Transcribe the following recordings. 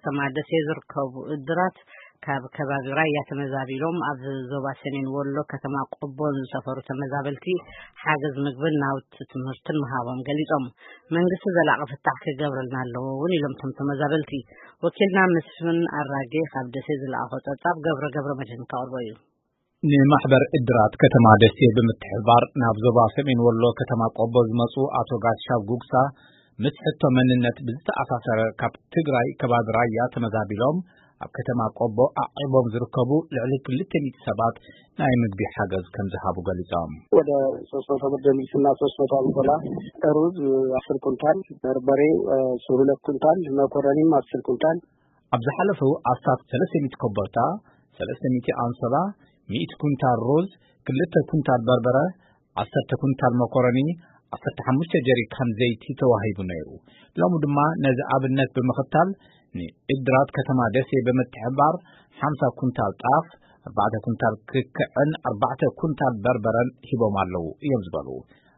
ከተማ ደሴ ዝርከቡ እድራት ካብ ከባቢ ራያ ተመዛቢሎም ኣብ ዞባ ሰሜን ወሎ ከተማ ቆቦ ንዝሰፈሩ ተመዛበልቲ ሓገዝ ምግብን ናውቲ ትምህርትን ምሃቦም ገሊጾም። መንግስቲ ዘላቒ ፍታሕ ክገብረልና ኣለዎ እውን ኢሎም እቶም ተመዛበልቲ። ወኪልና መስፍን ኣራጌ ካብ ደሴ ዝለኣኾ ጸብጻብ ገብረ ገብረ መድህን ከቕርቦ እዩ። ንማሕበር እድራት ከተማ ደሴ ብምትሕብባር ናብ ዞባ ሰሜን ወሎ ከተማ ቆቦ ዝመጹ ኣቶ ጋሻው ጉግሳ ምስ ሕቶ መንነት ብዝተኣሳሰረ ካብ ትግራይ ከባቢ ራያ ተመዛቢሎም ኣብ ከተማ ቆቦ ኣዒቦም ዝርከቡ ልዕሊ ክልተ ሚእቲ ሰባት ናይ ምግቢ ሓገዝ ከም ዝሃቡ ገሊጾም። ወደ ሶስት መቶ ብርድ ልብስና ሶስት መቶ ኣንሶላ፣ ሩዝ አስር ኩንታል፣ በርበሬ እ፣ ሁለት ኩንታል፣ መኮረኒም አስር ኩንታል። ኣብ ዝሓለፉ ኣስታት ሰለስተ ሚእቲ ኮቦርታ፣ ሰለስተ ሚእቲ ኣንሶላ፣ ሚእቲ ኩንታል ሩዝ፣ ክልተ ኩንታል በርበረ፣ ዓሰርተ ኩንታል መኮረኒ፣ ዓሰርተ ሓሙሽተ ጀሪካን ዘይቲ ተዋሂቡ ነይሩ። ሎሚ ድማ ነዚ ኣብነት ብምኽታል ንእድራት ከተማ ደሴ ብምትሕባር ሓምሳ ኩንታል ጣፍ፣ ኣርባዕተ ኩንታል ክክዕን ኣርባዕተ ኩንታል በርበረን ሂቦም ኣለዉ እዮም ዝበሉ።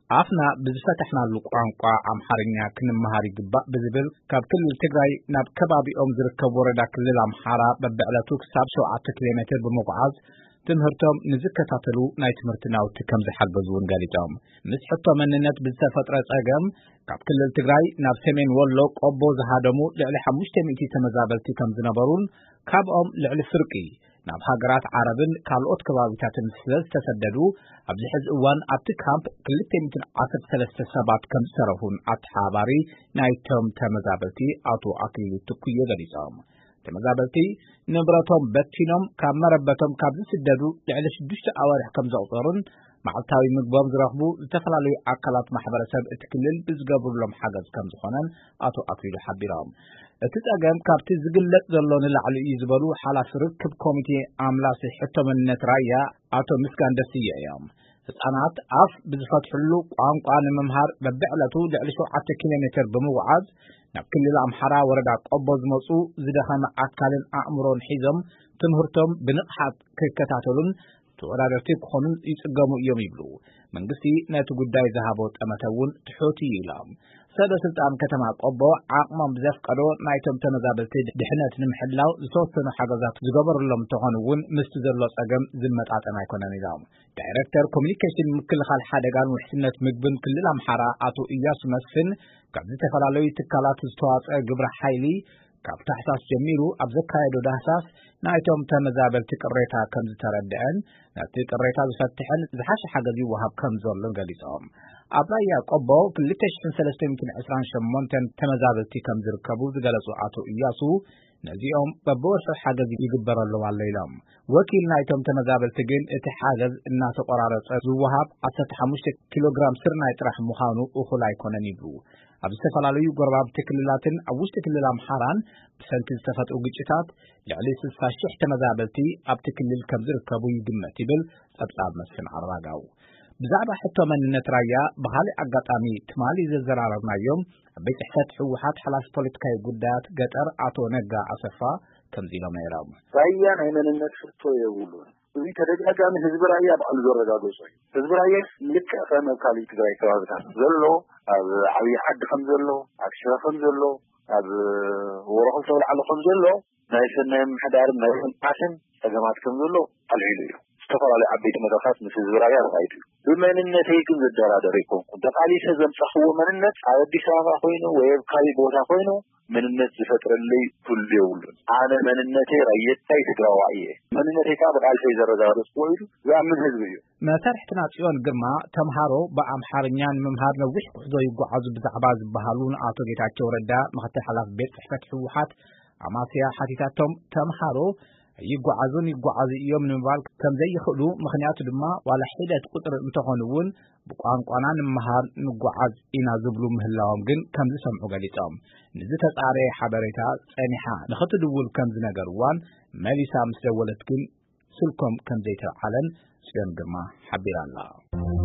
ኣፍና ብዝፈተሕናሉ ቋንቋ ኣምሓርኛ ክንመሃር ይግባእ ብዝብል ካብ ክልል ትግራይ ናብ ከባቢኦም ዝርከብ ወረዳ ክልል ኣምሓራ በብዕለቱ ክሳብ ሸውዓተ ኪሎ ሜትር ብምጉዓዝ ትምህርቶም ንዝከታተሉ ናይ ትምህርቲ ናውቲ ከም ዝሓገዙ እውን ገሊጾም። ምስ ሕቶ መንነት ብዝተፈጥረ ጸገም ካብ ክልል ትግራይ ናብ ሰሜን ወሎ ቆቦ ዝሃደሙ ልዕሊ ሓሙሽተ ሚእቲ ተመዛበልቲ ከም ዝነበሩን ካብኦም ልዕሊ ፍርቂ ናብ ሃገራት ዓረብን ካልኦት ከባቢታትን ስለ ዝተሰደዱ ኣብዚ ሕዚ እዋን ኣብቲ ካምፕ ክልተ ሚእትን ዓሰርተ ሰለስተ ሰባት ከም ዝተረፉን ኣተሓባባሪ ናይቶም ተመዛበልቲ ኣቶ ኣክሊሉ ትኩየ ገሊጾም። ተመዛበልቲ ንብረቶም በቲኖም ካብ መረበቶም ካብ ዝስደዱ ልዕሊ ሽዱሽተ ኣዋርሕ ከም ዘቑጸሩን መዓልታዊ ምግቦም ዝረኽቡ ዝተፈላለዩ ኣካላት ማሕበረሰብ እቲ ክልል ብዝገብሩሎም ሓገዝ ከም ዝኾነን ኣቶ ኣክሊሉ ሓቢሮም። እቲ ጸገም ካብቲ ዝግለጽ ዘሎ ንላዕሊ እዩ ዝበሉ ሓላፊ ርክብ ኮሚቴ ኣምላሲ ሕቶ መንነት ራያ ኣቶ ምስጋን ደስየ እዮም። ህጻናት ኣፍ ብዝፈትሕሉ ቋንቋ ንምምሃር በብዕለቱ ልዕሊ ሸውዓተ ኪሎ ሜትር ብምጉዓዝ ናብ ክልል ኣምሓራ ወረዳ ቆቦ ዝመጹ ዝደኸመ ኣካልን ኣእምሮን ሒዞም ትምህርቶም ብንቕሓት ክከታተሉን ተወዳደርቲ ክኾኑን ይጽገሙ እዮም ይብሉ። መንግስቲ ነቲ ጉዳይ ዝሃቦ ጠመተ እውን ትሑት እዩ ኢሎም። ሰበ ስልጣን ከተማ ቆቦ ዓቕሞም ብዘፍቀዶ ናይቶም ተመዛበልቲ ድሕነት ንምሕላው ዝተወሰኑ ሓገዛት ዝገበሩሎም እንተኾኑ እውን ምስቲ ዘሎ ጸገም ዝመጣጠን ኣይኮነን ኢሎም። ዳይሬክተር ኮሚኒኬሽን ምክልኻል ሓደጋን ውሕስነት ምግብን ክልል ኣምሓራ ኣቶ እያሱ መስፍን ካብ ዝተፈላለዩ ትካላት ዝተዋጸአ ግብረ ሓይሊ ካብ ታሕሳስ ጀሚሩ ኣብ ዘካየዶ ዳህሳስ ናይቶም ተመዛበልቲ ቅሬታ ከም ዝተረድዐን ነቲ ቅሬታ ዝፈትሕን ዝሓሸ ሓገዝ ይወሃብ ከም ዘሎን ገሊጾም። ኣብ ራያ ቆቦ ክልተ ሽሕን ሰለስተ ሚእትን ዕስራን ሸሞንተን ተመዛበልቲ ከም ዝርከቡ ዝገለጹ ኣቶ እያሱ ነዚኦም በብወርሑ ሓገዝ ይግበረሎም ኣሎ ኢሎም። ወኪል ናይቶም ተመዛበልቲ ግን እቲ ሓገዝ እናተቆራረጸ ዝወሃብ ዓሰርተ ሓሙሽተ ኪሎ ግራም ስርናይ ጥራሕ ምዃኑ እኹል ኣይኮነን ይብሉ። ኣብ ዝተፈላለዩ ጎረባብቲ ክልላትን ኣብ ውሽጢ ክልል ኣምሓራን ብሰንኪ ዝተፈጥሩ ግጭታት ልዕሊ ስልሳ ሺሕ ተመዛበልቲ ኣብቲ ክልል ከም ዝርከቡ ይግመት ይብል ጸብጻብ መስፍን ኣራጋው። ብዛዕባ ሕቶ መንነት ራያ ብኻልእ ኣጋጣሚ ትማሊ ዘዘራረብናዮም ኣብ ቤት ጽሕፈት ህወሓት ሓላፊ ፖለቲካዊ ጉዳያት ገጠር ኣቶ ነጋ ኣሰፋ ከምዚ ኢሎም ነይሮም። ራያ ናይ መንነት ሕቶ የብሉን። እዚ ተደጋጋሚ ህዝቢ ራያ ባዕሉ ዘረጋገጾ እዩ። ህዝቢ ራያ ልክዕ ከም ኣብ ካልእ ትግራይ ከባብታት ዘሎ ኣብ ዓብዪ ዓዲ ከም ዘሎ ኣብ ሽረ ከም ዘሎ ኣብ ወረኹል ተብላዕሎ ከም ዘሎ ናይ ሰናይ ምሕዳርን ናይ ልምዓትን ጸገማት ከም ዘሎ ኣልዒሉ እዩ። ዝተፈላለዩ ዓበይቲ መድረኻት ምስ ህዝቢ ራያ ተኻይዱ እዩ። ብመንነተይ ግን ዝደራደር ኣይኮንኩን። ተቓሊሰ ዘምጻኽዎ መንነት ኣብ ኣዲስ ኣበባ ኮይኑ ወይ ኣብ ካልእ ቦታ ኮይኑ መንነት ዝፈጥረለይ ኩሉ የብሉን። ኣነ መንነተይ ራየታይ ትግራዋይ እየ። መንነተይ ከዓ ብቃልሰይ ዘረጋገጽኩዎ ኢሉ ዝኣምን ህዝቢ እዩ። መሳርሕትና ጽዮን ግርማ ተምሃሮ ብኣምሓርኛ ንምምሃር ነዊሕ ጉዕዞ ይጓዓዙ ብዛዕባ ዝበሃሉ ንኣቶ ጌታቸው ረዳ ምክትል ሓላፊ ቤት ጽሕፈት ህወሓት ኣማስያ ሓቲታቶም። ተምሃሮ ይጓዓዙን ይጓዓዙ እዮም ንምባል ከም ዘይኽእሉ ምኽንያቱ ድማ ዋላ ሒደት ቁፅሪ እንተኾኑ እውን ብቋንቋና ንምሃር ንጓዓዝ ኢና ዝብሉ ምህላዎም ግን ከም ዝሰምዑ ገሊፆም። ንዝተፃረየ ሓበሬታ ፀኒሓ ንኽትድውል ከም ዝነገርዋን መሊሳ ምስ ደወለት ግን ስልኮም ከም ዘይተልዓለን ፅዮን ግርማ ሓቢራ ኣላ።